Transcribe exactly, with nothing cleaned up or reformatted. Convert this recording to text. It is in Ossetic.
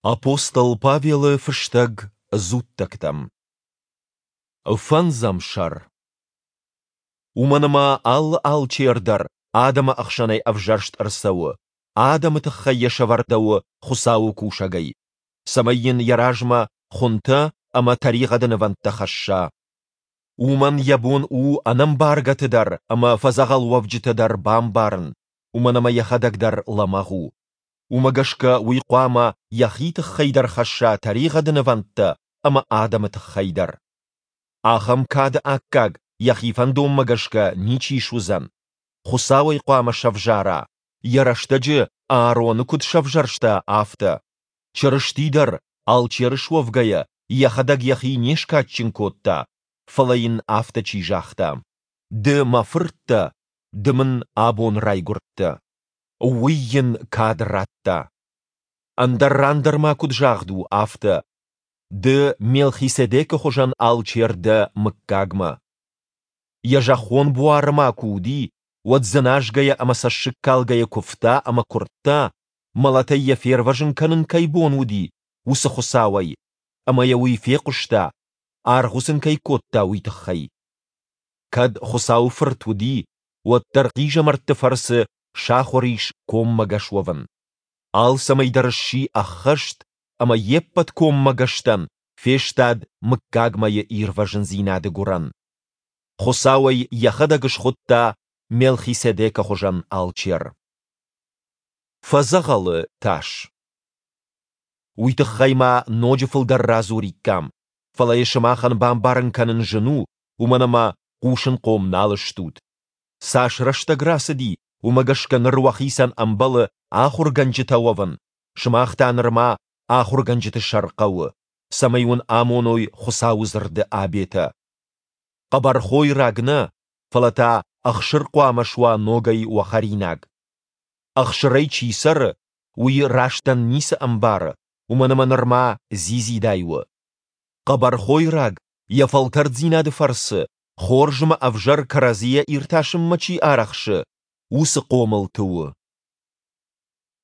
Апостол Павелы фыстӕг дзуттӕгтӕм. Фӕндзӕм сӕр. Уымӕн ӕмӕ алы алчер дӕр адӕмы ӕхсӕнӕй ӕвзӕрст ӕрцӕуы, адӕмы тыххӕй йӕ сӕвӕрдӕуы Хуыцауы кусӕгӕй, цӕмӕй йын йӕ размӕ хуынтӕ ӕмӕ тӕригъӕды нывӕндтӕ хӕсса. Уымӕн йӕ бон у ӕнӕмбаргӕты дӕр ӕмӕ фӕдзӕгъӕлуӕвджыты дӕр бамбарын, уымӕн ӕмӕ йӕхӕдӕг дӕр лӕмӕгъ у. Уымӕ гӕсгӕ уый хъуамӕ йӕхи тыххӕй дӕр хӕсса тӕригъӕды нывӕндтӕ ӕмӕ адӕмы тыххӕй дӕр. Ахӕм кады аккаг йӕхи фӕндонмӕ гӕсгӕ ничи суыдзӕн. Хуыцау ӕй хъуамӕ сӕвзара, йӕ рӕстӕджы Аароны куыд сӕвзӕрста, афтӕ. Чырысти дӕр, алчер суӕвгӕйӕ, йӕхӕдӕг йӕхи не скадджын кодта, фӕлӕ йын афтӕ чи загъта: Ды мӕ фырт дӕ, ды мын абон райгуырдтӕ. Уый йын кад радта. Ӕндӕр ран дӕр ма куыд загъд у, афтӕ: Ды Мелхиседекы хуызӕн алчер дӕ мыггагмӕ. Йӕ зӕххон буары ма куы уыди, уӕд дзыназгӕйӕ ӕмӕ цӕссыгкалгӕйӕ куывта ӕмӕ куырдта, мӕлӕтӕй йӕ фервӕзын кӕнын кӕй бон уыди, уыцы Хуыцауӕй, ӕмӕ йӕ уый фехъуыста, аргъуыц ын кӕй кодта, уый тыххӕй. Кӕд Хуыцауы Фырт уыди, уӕддӕр хъизӕмӕртты фӕрцы сахуыр ис коммӕгӕс уӕвын. Алцӕмӕй дӕр сси ӕххӕст ӕмӕ йе ппӕт коммӕгӕстӕн фестад мыггагмӕйы ирвӕзындзинады гуырӕн. Хуыцау ӕй йӕхӕдӕг схуыдта Мелхиседекы хуызӕн алчер. Фӕдзӕгъӕлы тас. Уый тыххӕй ма ноджы фылдӕр радзуриккам, фӕлӕ йӕ сымахӕн бамбарын кӕнын зын у, уымӕн ӕмӕ хъусынхъом нал стут. Цас рӕстӕг рацыди, уымӕ гӕсгӕ ныр уӕхицӕн ӕмбӕлы ахуыргӕнджытӕ уӕвын, сымах та нырма ахуыргӕнджыты сӕр хъӕуы, цӕмӕй уын амоной Хуыцауы дзырды абетӕ. Хъӕбӕр хойраг нӕ, фӕлӕ та ӕхсыр хъуамӕ суа ногӕй уӕ хӕринаг. Ӕхсырӕй чи цӕры, уый рӕстӕн ницы ӕмбары, уымӕн ӕмӕ нырма дзидзидай у. Хъӕбӕр хойраг йӕ фӕлтӕрддзинады фӕрцы хорз ӕмӕ ӕвзӕр кӕрӕдзийӕ иртасынмӕ чи арӕхсы, уыцы хъомылты у.